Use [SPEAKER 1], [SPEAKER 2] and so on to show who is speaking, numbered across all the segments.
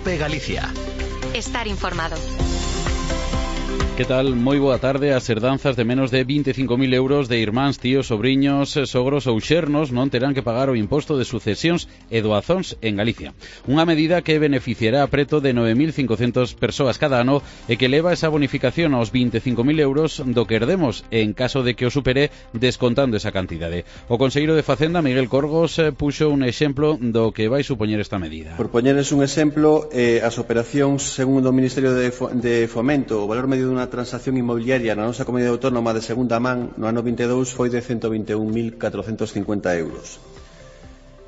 [SPEAKER 1] COPE Galicia.
[SPEAKER 2] Estar informado.
[SPEAKER 3] Que tal? Moi boa tarde. As herdanzas de menos de 25.000 euros de irmáns, tíos, sobriños, sogros ou xernos non terán que pagar o imposto de sucesións e doazóns en Galicia. Unha medida que beneficiará a preto de 9.500 persoas cada ano e que leva esa bonificación aos 25.000 euros do que herdemos en caso de que o supere descontando esa cantidade. O conselleiro de Facenda, Miguel Corgos, puxo un exemplo do que vai supoñer esta medida.
[SPEAKER 4] Por poñerles un exemplo, as operacións, segundo o Ministerio de Fomento, o valor medio dunha transacción inmobiliaria na nosa comunidade autónoma de segunda man no ano 22 foi de 121.450 euros.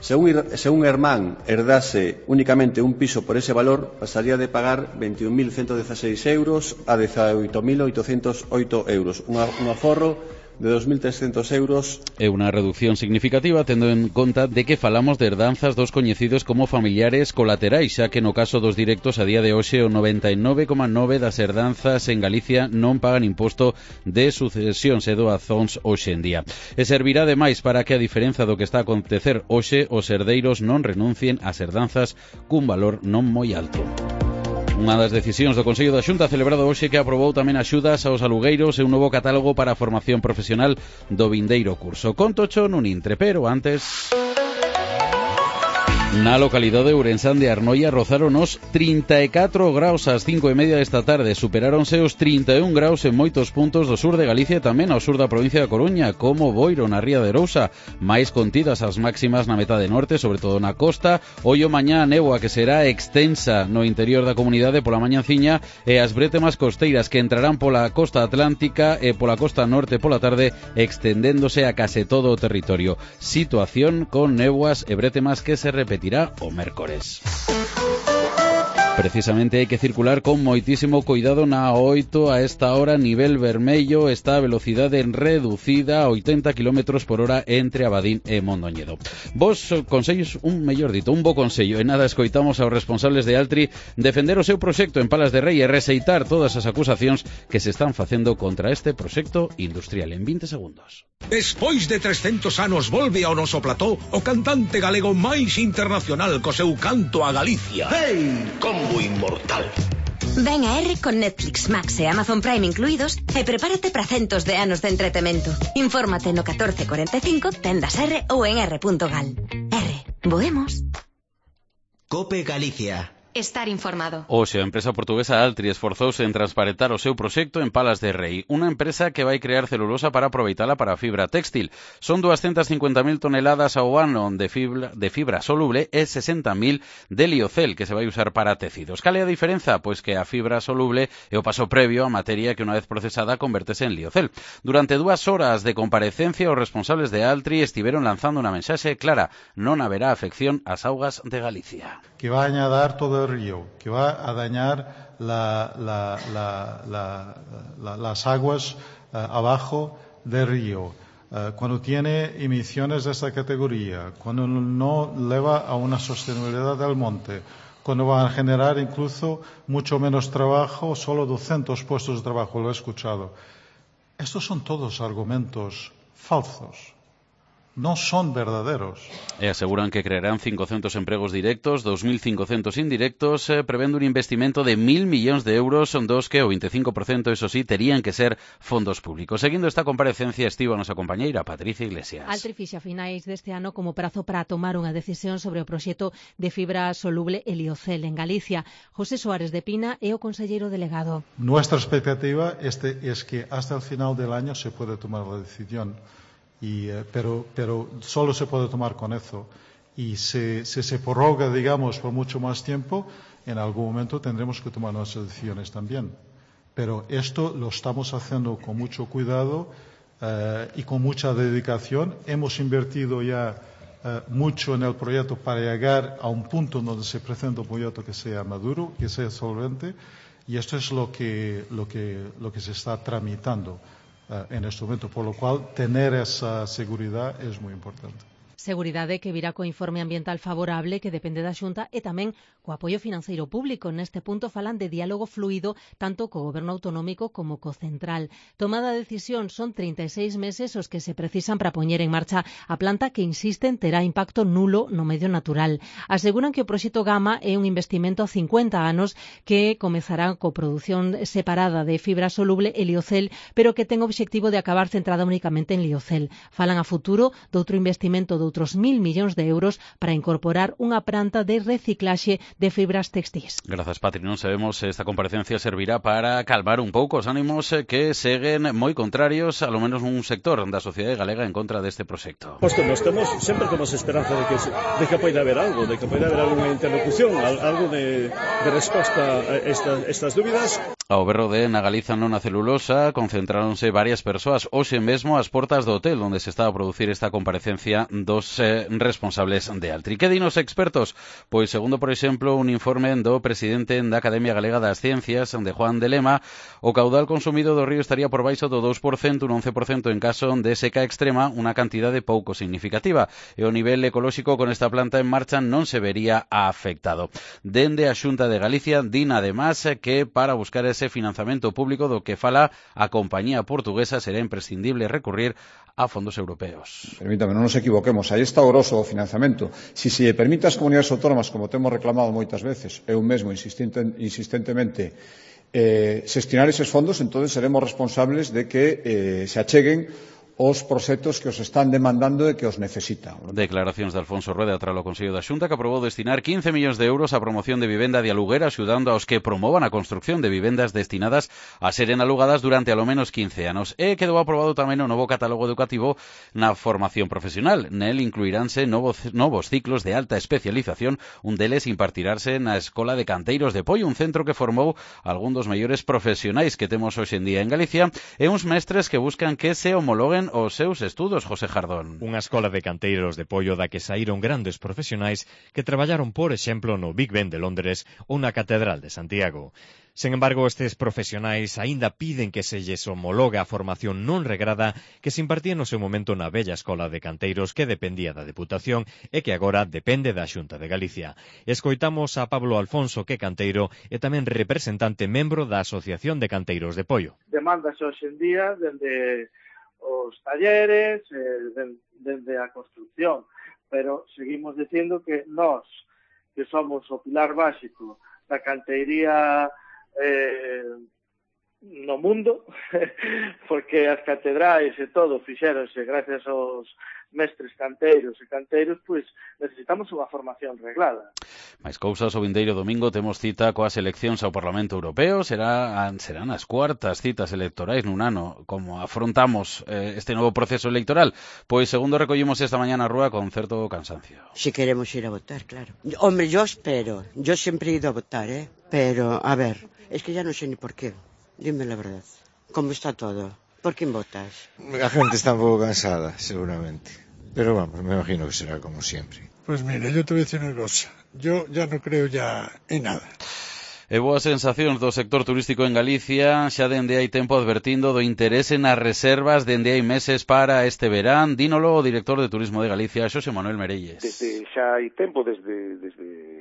[SPEAKER 4] Se un irmán herdase únicamente un piso por ese valor, pasaría de pagar 21.116 euros a 18.808 euros, un aforro de 2.300 euros.
[SPEAKER 3] É unha reducción significativa tendo en conta de que falamos de herdanzas dos coñecidos como familiares colaterais, xa que no caso dos directos a día de hoxe o 99,9% das herdanzas en Galicia non pagan imposto de sucesións e doazóns hoxe en día. E servirá ademais para que, a diferenza do que está a acontecer hoxe, os herdeiros non renuncien ás herdanzas cun valor non moi alto. Unha das decisións do Consello da Xunta celebrado hoxe que aprobou tamén axudas aos alugueiros e un novo catálogo para a formación profesional do vindeiro curso. Contocho nun intre, pero antes... Na localidade de Ourensán de Arnoia rozaron os 34 graus ás 5:30 desta tarde. Superáronse os 31 graus en moitos puntos do sur de Galicia e tamén ao sur da provincia da Coruña, como Boiro, na ría de Arousa. Mais contidas as máximas na metade norte, sobre todo na costa. Ollo mañá a néboa que será extensa no interior da comunidade pola mañanciña e as brétemas costeiras que entrarán pola costa atlántica e pola costa norte pola tarde, extendéndose a case todo o territorio. Situación con néboas e brétemas que se repetirá o mércores. Precisamente hai que circular con moitísimo cuidado na A8 a esta hora, nivel vermello, está a velocidade reducida a 80 km por hora entre Abadín e Mondoñedo. Vos consellos, un bo consello, e nada, escoitamos aos responsables de Altri defender o seu proxecto en Palas de Rei e rexeitar todas as acusacións que se están facendo contra este proxecto industrial. En 20 segundos.
[SPEAKER 5] Despois de 300 anos volve ao noso plató o cantante galego máis internacional co seu canto a Galicia.
[SPEAKER 6] ¡Hey! Combo inmortal.
[SPEAKER 2] Ven a R con Netflix, Max e Amazon Prime incluídos e prepárate para centos de anos de entretemento. Infórmate no 1445, tendas R ou en r.gal. R, voemos.
[SPEAKER 1] COPE Galicia.
[SPEAKER 2] Estar informado.
[SPEAKER 3] Hoxe, a empresa portuguesa Altri esforzouse en transparentar o seu proxecto en Palas de Rei, unha empresa que vai crear celulosa para aproveitala para fibra téxtil. Son 250.000 toneladas ao ano de fibra soluble e 60.000 de liocel que se vai usar para tecidos. Cal é a diferenza? Pois que a fibra soluble é o paso previo a materia que unha vez procesada convertese en liocel. Durante 2 horas de comparecencia, os responsables de Altri estiveron lanzando unha mensaxe clara: non haberá afección ás augas de Galicia.
[SPEAKER 7] Que va a añadar todo el río, que va a dañar las aguas abajo del río. Cuando tiene emisiones de esta categoría, cuando no lleva a una sostenibilidad del monte, cuando va a generar incluso mucho menos trabajo, solo 200 puestos de trabajo, lo he escuchado. Estos son todos argumentos falsos. Non son verdaderos.
[SPEAKER 3] E aseguran que crearán 500 empregos directos, 2.500 indirectos, prevendo un investimento de 1.000 millóns de euros, dos que o 25%, eso sí, terían que ser fondos públicos. Seguindo esta comparecencia estivo a nosa compañeira Patricia Iglesias.
[SPEAKER 8] Altri fixa a finais deste ano como prazo para tomar unha decisión sobre o proxecto de fibra soluble e liocel en Galicia. José Suárez de Pina é o conselleiro delegado.
[SPEAKER 7] Nuestra expectativa es que hasta el final del año se puede tomar la decisión. Pero solo se puede tomar con eso. Y si se prorroga, digamos, por mucho más tiempo, en algún momento tendremos que tomar nuestras decisiones también. Pero esto lo estamos haciendo con mucho cuidado y con mucha dedicación. Hemos invertido ya mucho en el proyecto para llegar a un punto donde se presenta un proyecto que sea maduro, que sea solvente, y esto es lo que se está tramitando en este momento, por lo cual tener esa seguridad es muy importante.
[SPEAKER 8] Seguridade que virá co informe ambiental favorable que depende da Xunta e tamén co apoio financeiro público. Neste punto falan de diálogo fluido tanto co goberno autonómico como co central. Tomada a decisión, son 36 meses os que se precisan para poñer en marcha a planta que, insisten, terá impacto nulo no medio natural. Aseguran que o proxecto Gama é un investimento a 50 anos que comezará co produción separada de fibra soluble e liocel, pero que ten o obxectivo de acabar centrada únicamente en liocel. Falan a futuro doutro investimento de outros 1.000 millóns de euros para incorporar unha planta de reciclaxe de fibras textís.
[SPEAKER 3] Grazas, Patri. Non sabemos se esta comparecencia servirá para calmar un pouco os ánimos que seguen moi contrarios, a lo menos un sector da sociedade galega en contra deste proxecto.
[SPEAKER 9] Sempre temos esperanza de que poida haber algo, de que poida haber alguna interlocución, algo de resposta a estas dúbidas.
[SPEAKER 3] Ao berro de na Galiza non a celulosa concentráronse varias persoas hoxe mesmo ás portas do hotel onde se está a producir esta comparecencia dos responsables de Altri. Que din os expertos? Pois, segundo, por exemplo, un informe do presidente da Academia Galega das Ciencias, de Juan de Lema, o caudal consumido do río estaría por baixo do 2%, un 11% en caso de seca extrema, unha cantidade pouco significativa. E o nivel ecolóxico con esta planta en marcha non se vería afectado. Dende a Xunta de Galicia din además que para buscar ese financiamento público do que fala a compañía portuguesa será imprescindible recurrir a fondos europeos.
[SPEAKER 10] Permítame, non nos equivoquemos, aí está o grosso do financiamento. Si se permite ás comunidades autónomas, como temos reclamado moitas veces, eu mesmo insistentemente, xestionar eses fondos, entón seremos responsables de que se acheguen os proxectos que os están demandando e que os necesitan.
[SPEAKER 3] Declaracións de Alfonso Rueda tras o Consello da Xunta, que aprobou destinar 15 millóns de euros á promoción de vivenda de aluguer, axudando aos que promovan a construcción de vivendas destinadas a seren alugadas durante alo menos 15 anos. E quedou aprobado tamén o novo catálogo educativo na formación profesional. Nel incluiránse novos ciclos de alta especialización, un deles impartirase na Escola de Canteiros de Poio, un centro que formou algún dos mellores profesionais que temos hoxe en día en Galicia, e uns mestres que buscan que se homologuen os seus estudos, José Jardón.
[SPEAKER 11] Unha escola de canteiros de Poio da que saíron grandes profesionais que traballaron, por exemplo, no Big Ben de Londres ou na Catedral de Santiago. Sen embargo, estes profesionais aínda piden que se lles homologue a formación non regrada que se impartía no seu momento na bella escola de canteiros que dependía da Deputación e que agora depende da Xunta de Galicia. Escoitamos a Pablo Alfonso, que é canteiro e tamén representante membro da Asociación de Canteiros de Poio.
[SPEAKER 12] Demandas hoxe en día dende os talleres, dende a construcción, pero seguimos dicindo que nós, que somos o pilar básico da canteiría no mundo, porque as catedrais e todo fixéronse gracias aos mestres canteiros e canteiros, pois necesitamos unha formación reglada.
[SPEAKER 3] Mais cousas, o vindeiro domingo temos cita coas eleccións ao Parlamento Europeo, serán as cuartas citas electorais nun ano. Como afrontamos este novo proceso electoral? Pois segundo recollimos esta mañá na rúa con certo cansancio.
[SPEAKER 13] Si queremos ir a votar, claro. Hombre, yo espero, yo sempre he ido a votar, pero, a ver, es que ya no sé ni por qué. Dime la verdad. ¿Cómo está todo? ¿Por quién votas?
[SPEAKER 14] La gente está un poco cansada, seguramente. Pero vamos, me imagino que será como siempre.
[SPEAKER 15] Pues mira, yo te voy a decir una cosa. Yo ya no creo ya en nada.
[SPEAKER 3] E boas sensacións do sector turístico en Galicia, xa dende hai tempo advertindo do interese nas reservas dende hai meses para este verán. Dínolo o director de Turismo de Galicia, Xosé Manuel Merelles.
[SPEAKER 6] Desde xa hai tempo, desde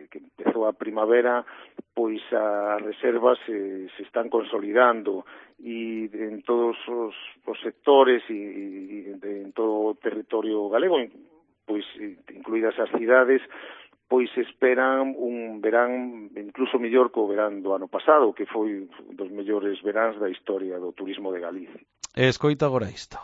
[SPEAKER 6] que empezou a primavera, pois as reservas se están consolidando e en todos os sectores e en todo o territorio galego, pois incluídas as cidades, pois esperan un verán incluso mellor que o verán do ano pasado, que foi un dos mellores veráns da historia do turismo de Galicia.
[SPEAKER 3] Escoita agora isto.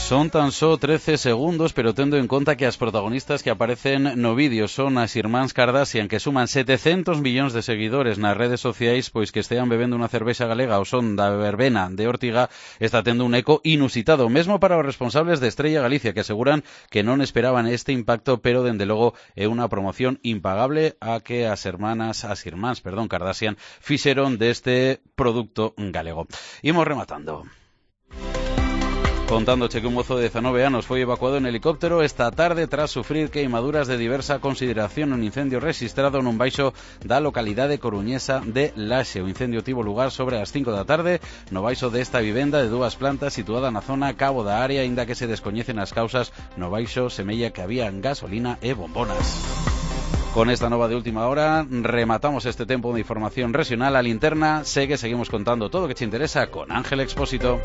[SPEAKER 3] Son tan só 13 segundos, pero tendo en conta que as protagonistas que aparecen no vídeo son as irmáns Kardashian, que suman 700 millóns de seguidores nas redes sociais, pois que estean bebendo unha cervexa galega ao son da verbena de Ortiga, está tendo un eco inusitado, mesmo para os responsables de Estrella Galicia, que aseguran que non esperaban este impacto, pero dende logo é unha promoción impagable a que as irmáns Kardashian fixeron deste produto galego. Imos rematando. Contándoche que un mozo de 19 anos foi evacuado en helicóptero esta tarde tras sufrir queimaduras de diversa consideración nun incendio rexistrado nun baixo da localidade coruñesa de Laxe. O incendio tivo lugar sobre as 5 da tarde no baixo desta vivenda de 2 plantas situada na zona Cabo da Área, aínda que se descoñecen as causas. No baixo semella que había gasolina e bombonas. Con esta nova de última hora rematamos este tempo de información regional. A linterna seguimos contando todo o que te interesa con Ángel Expósito.